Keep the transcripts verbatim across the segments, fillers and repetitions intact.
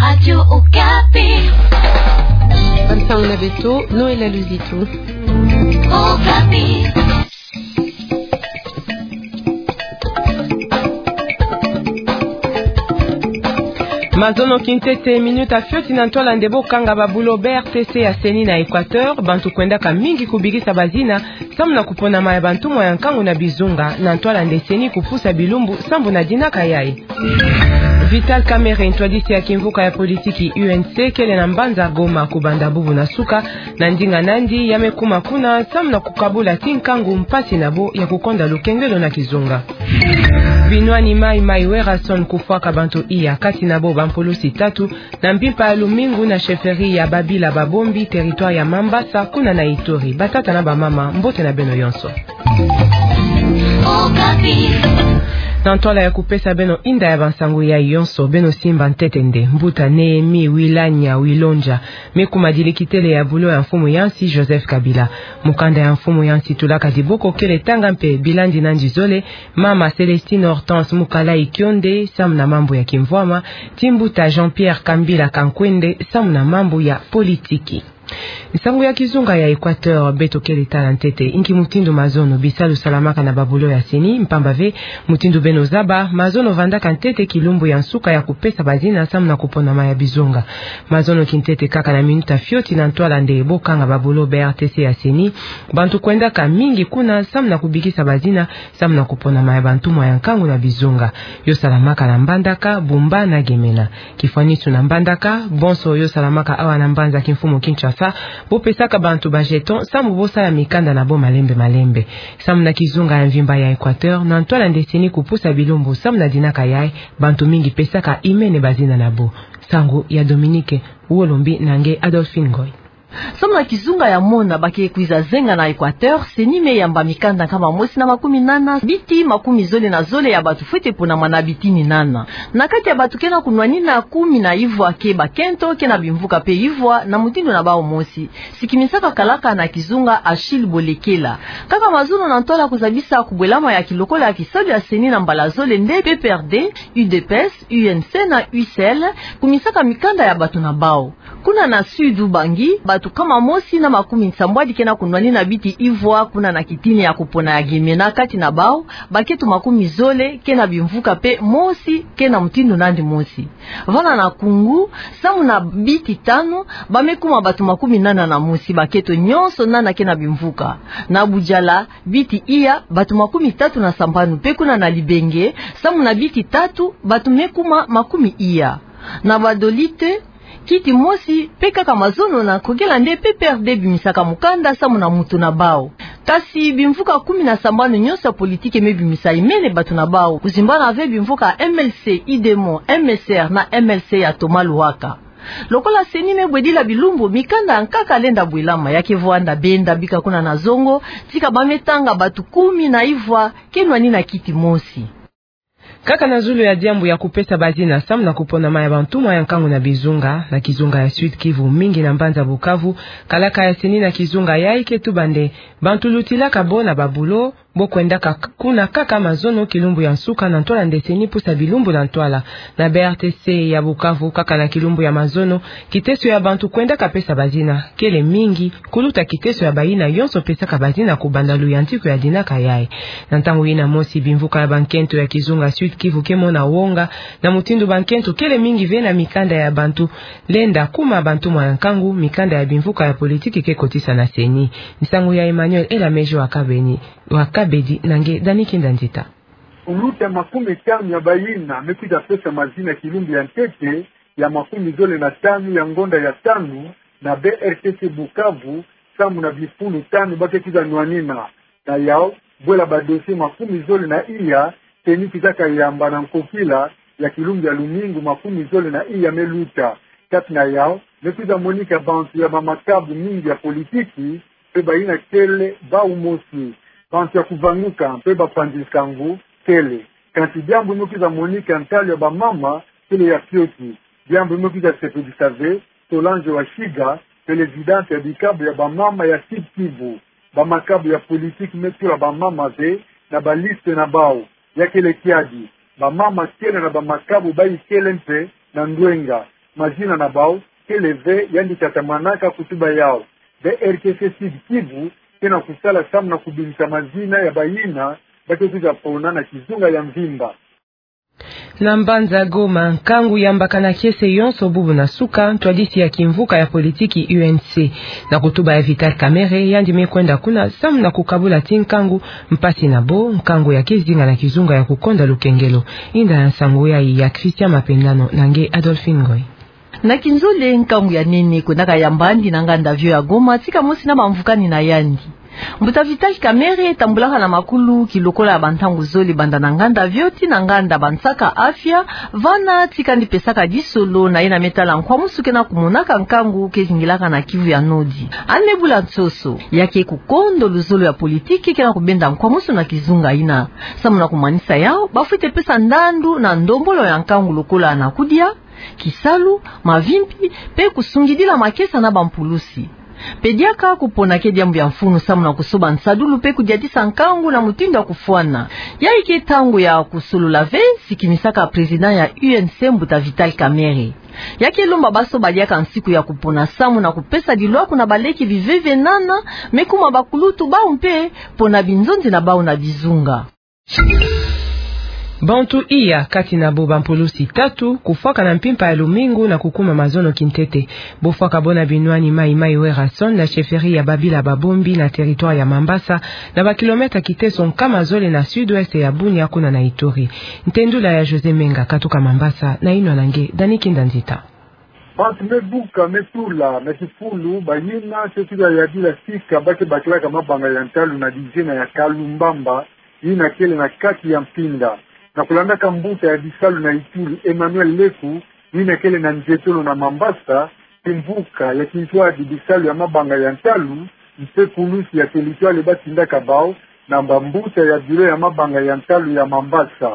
Radio Okapi. Bansango na beto, Noëlla Luzitu. Okapi. Mazono kintete, minuta fioti na ntwala nde bo kanga ba bulo B R T C ya CENI na Equateur, bantu kwendaka mingi kubikisa bazina, samu na kuponama ya bantumwa ya nkangu na bizunga, na ntwala nde CENI kupusa bilumbu sambu na dinaka yayi. Vital Kamerhe, ntwadisi ya kimvuka ya politiki U N C, kele na mbanza Goma kubanda bubu na suka, na ndinga nandi, ya me kuma kuna, samu na kukabula ti nkangu mpasi na bo ya kukonda lukengelo na kizunga. Binwani mayi-mayi Werrason kufwaka bantu iya, kati na bo bampulusi tatu, na mpimpa ya lumingu na chefferie ya Babila Babombi, territoire ya Mambasa, kuna na Ituri. Batata na bamama, mbote na beno yonso. Na ntwala ya kupesa beno inda ya bansangu yayi yonso, beno simba ntete nde mbuta Nehemie Wilanya Wilondja me kuma dilekitele ya bulo ya mfumu ya nsi Joseph Kabila. Mukanda ya mfumu ya nsi tulaka diboko kele tanga mpe bilandi nandi zole, mama Célestine Hortense Mukala Ikionde samu na mambu ya kimvwama, ti mbuta Jean-Pierre Kambila Kankwende samu na mambu ya politiki. Nsangu ya kizunga ya Equateur, beto kele tala ntete inki mutindu mazono bisalu salamaka na babulo ya CENI, mpamba ve, mutindu beno zaba, mazono vandaka ntete kilumbu ya nsuka ya kupesa bazina samu na kuponama ya bizunga. Mazono kintete kaka na minuta fioti na ntwala nde bo kanga babulo B R T C ya CENI, bantu kwendaka mingi kuna samu na kubikisa bazina, samu na kuponama ya bantumwa ya nkangu na bizunga. Yo salamaka na Mbandaka, Bumba na Gemena. Kifwanisu na Mbandaka, bonso yo salamaka awa na mbanza kimfumu Kinshasa, bo pesaka bantu ba jeton, samu bo sala mikanda na bo malembe-malembe. Samu na kizunga ya mvimba ya Equateur, na ntwala nde CENI kupusa bilumbu samu na dinaka yayi, bantu mingi pesaka imene bazina na bo. Nsangu ya Dominique Wolombi na nge Adolphine Ngoy. Samu na kizunga ya mona ba ke kwiza zenga na Equateur, CENI me yamba mikanda nkama mosi na makumi nana, biti makumi zole na zole ya bantu fwete ponama na biti ni nana. Na kati ya bantu ke na kunwanina, kumi na ivwa ke bakento, ke na bimvuka mpe ivwa, na mutindu na bawu mosi. Sikimisaka kalaka na kizunga Achille Bolekela. Kaka mazono na ntwala kuzabisa kubwelama ya kilokola ya kisalu ya CENI na mbala zole nde P P R D, U D P S, U N C na U C L, kumisaka mikanda ya bantu na bawu. Kuna na Sud Ubangi, bantu nkama mosi na makumi nsambwadi ke na kunwanina biti ivwa, kuna na kitini ya kupona ya Gemena, kati na bawu, bakento makumi zole ke na bimvuka mpe mosi, ke na mutindu nandi mosi. Vana na Koungou, samu na biti tanu, ba me kuma bantu makumi nana na mosi, bakento nyonso nana ke na bimvuka. Na Boudiala, biti iya, bantu makumi tatu na sambanu, mpe kuna na Libenge, samu na biti tatu, bantu me kuma makumi iya. Na Badolite, kiti mosi, mpe kaka mazono na nkokela nde P P R D bimisaka mukanda samu na mutu na bawu. Kasi bimvuka kumi na sambanu nyonso ya politiki me bimisa imene bantu na bawu. Kuzimbana ve bimvuka M L C Idemo, M S R na M L C ya Thomas Luhaka. Lokola CENI me bwedila bilumbu, mikanda ya nkaka lenda bwelama, ya ke vwanda benda bika kuna na zongo, tika ba me tanga bantu kumi na ivwa ke nwanina kiti mosi. Kaka na zulu ya diambu ya kupesa bazina samu na kuponama ya bantumwa ya nkangu na bizunga, na kizunga ya Sud-Kivu, mingi na mbanza Bukavu, kalaka ya CENI na kizunga yayi ke tuba nde bantu lutilaka bo na babulo, bo kwendaka k-, kuna kaka mazono kilumbu ya nsuka na ntwala nde CENI pusa bilumbu na ntwala. Na B R T C ya Bukavu, kaka na kilumbu ya mazono, kiteso ya bantu kwendaka pesa bazina kele mingi, kuluta kiteso ya bayina yonso pesaka bazina kubanda luyantiku ya dinaka yayi. Na ntangu yina mosi, bimvuka ya bankento ya kizunga Sud-Kivu ke mona wonga, na mutindu bankento kele mingi ve na mikanda ya bantu lenda kuma bantumwa ya nkangu, mikanda ya bimvuka ya politiki ke kotisa na CENI. Nsangu ya Emmanuel Elameji wa Kabeni, wa Kabedi, na nge Dani Kinda Nzita. Kuluta makumi tanu ya bayina me kwiza pesa mazina kilumbu ya ntete, ya makumi zole na tanu ya ngonda ya tanu, na B R T C Bukavu, samu na bifulu tanu ba ke kwiza nwanina. Na yawu, bwela ba dossier makumi zole na iya, CENI kwizaka yamba na nkokila ya kilumbu ya lumingu makumi zole na iya me luta. Kati na yawu, me kwiza monika bantu ya bamakabu mingi ya politiki, mpe bayina kele bawu mosi, bantu ya kuvanguka mpe bapanzi nsangu kele. Kansi diambu me kwiza monika ntalu ya bamama kele ya fioti. Diambu me kwiza sepelisa ve Solange Washiga, présidente ya bikabu ya bamama ya Sud-Kivu. Bamakabu ya politiki me tula bamama ve na baliste na bawu. Ya kele kiadi, bamama kele na bamakabu bayi kele mpe na ndwenga. mazina na bau kele ve, yandi tatamanaka kutuba yau. Be R T C Sud Kivu ke na kusala samu na kubingisa mazina ya bayina ba ke kwiza pona na kizunga ya mvimba. Na mbanza Goma, nkangu yambakana kiese yonso bubu na suka, ntwadisi ya kimvuka ya politiki U N C. Na kutuba ya Vital Kamerhe, yandi me kwenda kuna samu na kukabula ti nkangu, mpasi na bo, nkangu ya ke zinga na kizunga ya kukonda lukengelo. Inda ya nsangu yayi ya Christian Mapendano na nge Adolphine Ngoy. Na kinzole, nkangu ya nene kwendaka yamba yandi na nganda vio ya Goma, tika mosi na bamvukani na yandi. Mbuta Vital Kamerhe tambulaka na makulu kilokola ya bantangu zole, banda na nganda vio tii na nganda bansaka afia, vana tika yandi pesaka disolo na yena me tala nkwamusu ke na kumonaka nkangu ke zingilaka na Kivu ya Nord. Yandi me bula nsoso, ya ke kukondo luzolo ya politiki ke na kubenda nkwamusu na kizunga yina. Samu na kumanisa yau, bafwete pesa ndandu na ndombolo ya nkangu lokola na kudia, kisalu, mavimpi, pe kusungidila makesa na bampulusi. Pe diaka kupona ke diambu ya mfunu samu na kusoba nsadulu pe kudiatisa nkangu na mutindu ya kufwana. Yayi ke ntangu ya kusolola ve, sikinisaka président ya U N C, mbuta Vital Kamerhe. Ya ke lomba basoba diaka nsiku ya kupona samu na kupesa dilwaku na baleke biveve nana me kuma bakulutu bau mpe pona binzonzi na bau na bizunga. Bantu iya, kati na bo bampulusi tatu, kufwaka na mpimpa ya lumingu na kukuma mazono kintete. Bofwaka bo na binwani Mai Mai Werrason na chefferie ya Babila Babombi na territoire ya Mambasa, na bakilomètre kiteso nkama zole na sud-ouest ya Bunia kuna na Ituri. Ntendula ya José Menga katuka Mambasa na inwa na nge Dani Kinda Nzita. Bantu me buka, me tula na kifulu, bayina ke kwiza yadila sika ba ke bakilaka mabanga ya ntalu na dizina ya Kalumbamba, yina kele na kati ya Mpinda. Na kulandaka mbuta ya bisalu na Ituri, Emmanuel Leku, yina kele na nzietolo na Mambasa, kimvuka ya kintwadi bisalu ya mabanga ya ntalu mpe pulusi ya territoire ba tindaka bau na bambuta ya bureau ya mabanga ya ntalu ya Mambasa.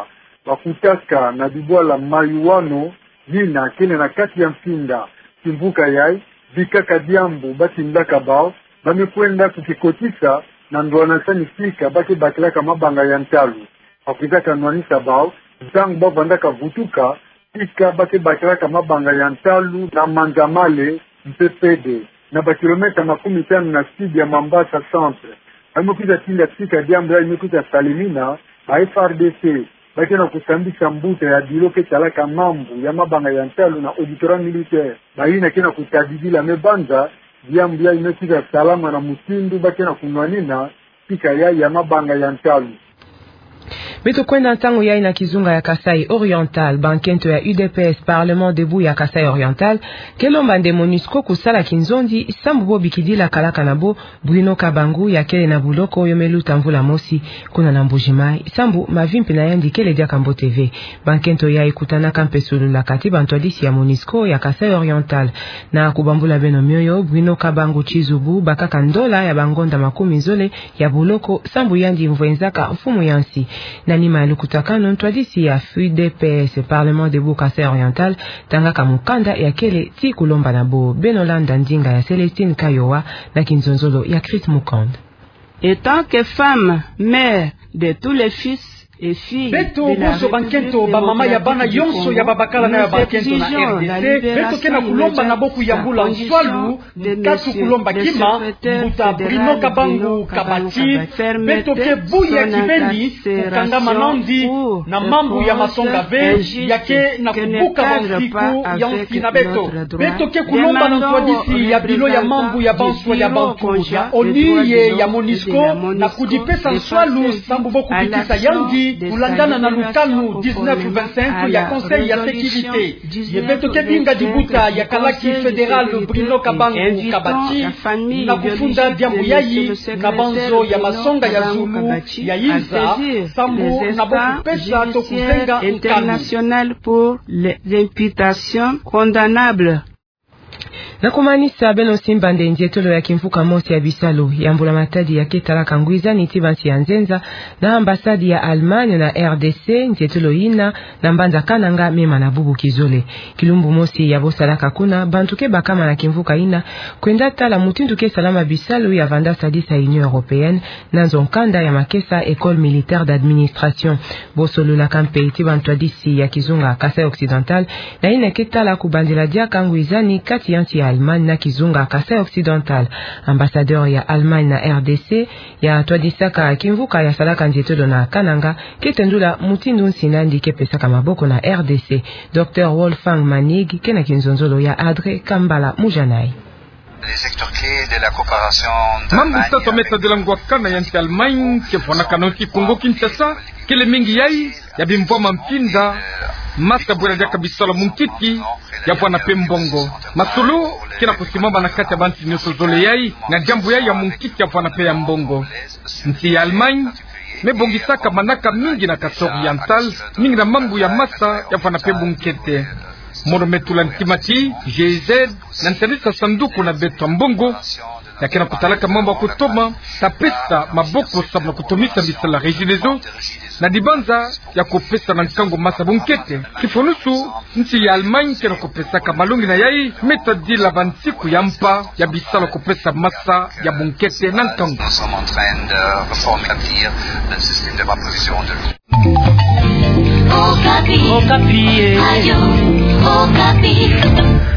Bakutaka na bibwala Mayuano, yina kele na kati ya Mpinda. Kimvuka yayi, bikaka diambu ba tindaka bau, ba me kwenda kukikotisa na ndwanasani sika ba ke bakilaka mabanga ya ntalu. Bakwizaka nwanisa bau, ntangu ba vandaka vutuka sika ba ke bakilaka mabanga ya ntalu na Manzamale mpe Pede, na bakilomètre makumi tanu na sud ya Mambasa centre. Ba me kwiza tinda sika diambu yayi me kwiza salemina, ba F A R D C ba ke na kusambisa mbuta ya bureau ke talaka mambu ya mabanga ya ntalu na auditorat militaire. Bayina ke na kutadidila me banza diambu yayi me kwiza salama na mutindu ba ke na kunwanina sika yayi ya mabanga ya ntalu. Beto kwenda ntangu yayi na kizunga ya Kasaï Oriental. Bankento ya U D P S, Parlement Debout ya Kasaï Oriental, ke lomba nde MONUSCO kusala kinzonzi, sambu bo bikidila kalaka na bo Bruno Kabangu, ya kele na buloko oyo me luta mvula mosi kuna na Mbuji-Mayi, sambu mavimpi na yandi kele diaka mbote ve. Bankento yayi kutanaka mpe sololaka ti bantwadisi ya MONUSCO ya Kasaï Oriental. Na kubambula beno mioyo, Bruno Kabangu Tshizubu bakaka ndola ya bangonda makumi zole ya buloko, sambu yandi mvwenzaka mfumu ya nsi. Na nima ya lukutakanu, ntwadisi ya U D P S, Parlement Debout Kasaï Oriental, tangaka mukanda ya kele ti kulomba na bo. Beno landa ndinga ya Célestine Kayowa na kinzonzolo ya Chris Mukand. Étant que femme, mère de tous les fils et filles de la République démocratique du Congo, nous exigeons la libération immédiate de ce prisonnier. Beto ke na kulomba na bo kuyambula nswalu, nkatu kulomba kima, mbuta Bruno Kabangu Kabati. Beto ke buya kibeni kukangama nandi na mambu ya masonga ve, ya ke na kubuka bansiku ya nsi na beto. Beto ke kulomba na ntwadisi ya bilo ya mambu ya banswa ya bantu, ya ONU ye ya MONUSCO, na kudipesa nswalu sambu bo kubikisa yandi, kulandana na lukanu dix-neuf vingt-cinq ya Conseil ya Sécurité. Ye beto ke binga dibuta ya kalaki fédéral Bruno Kabangu Kabati na kufunda diambu yayi na banzo ya masonga ya zulu ya inza, sambu na bo kupesa to kuzenga nkanu. Na kumanisa, beno simba nde nzietolo ya kimvuka mosi ya bisalu ya mbula matadi ya ke talaka ngwizani ti bansi ya nzenza, na ambassade ya Allemagne na R D C, nzietolo ina na mbanza Kananga mema na bubu kizole. Kilumbu mosi ya bosalaka kuna, bantu ke bakama na kimvuka ina kwenda tala mutindu ke salama bisalu ya vanda sadisa Union Européenne, na nzo nkanda ya makesa École militaire d'administration. Bosololaka mpe ti bantwadisi ya kizunga Kasaï Occidental, na ina ke tala kubandila diaka ngwizani kati ya nsi ya Allemagne na kizunga Kasaï Occidental. Ambassadeur ya Allemagne na R D C, ya twadisaka kimvuka ya salaka nzietolo na Kananga, ke tendula mutindu nsi nandi ke pesaka maboko na R D C. Docteur Wolfgang Manig, ke na kinzonzolo ya Adré Kambala Mujanai. Mambu tatu me tadila ngwakana ya nsi Allemagne ke vwanakana nsi Congo Kinshasa, kele mingi yai ya bimvwama mpinda, masa bwela diaka bisalu ya munkiki, ya vwana mpe mbongo. Masolo ke na kusimama na kati ya bansi nyonso zole yai, na diambu yai ya munkiki ya vwana mpe ya mbongo. Nsi ya Allemagne me bongisaka manaka mingi na Kasaï Oriental, mingi na mambu ya masa ya vwana mpe bunkete. Mono me tula ntima ti G I Z na ntalisa sanduku na beto ya mbongo, ya ke na kutalaka mambu ya kutoma, ta pesa maboko samu na kutomisa bisalu ya Regideso, na dibanza ya kupesa na nkangu masa bunkete. Kifunusu, nsi ya Allemagne ke na kupesaka malongi na yai me tadila bansiku ya mpa ya bisalu ya kupesa masa ya bunkete na nkangu. Nous sommes en train de réformer, de bâtir le système de proposition de Okapi. Okapi, eh. Radio Okapi.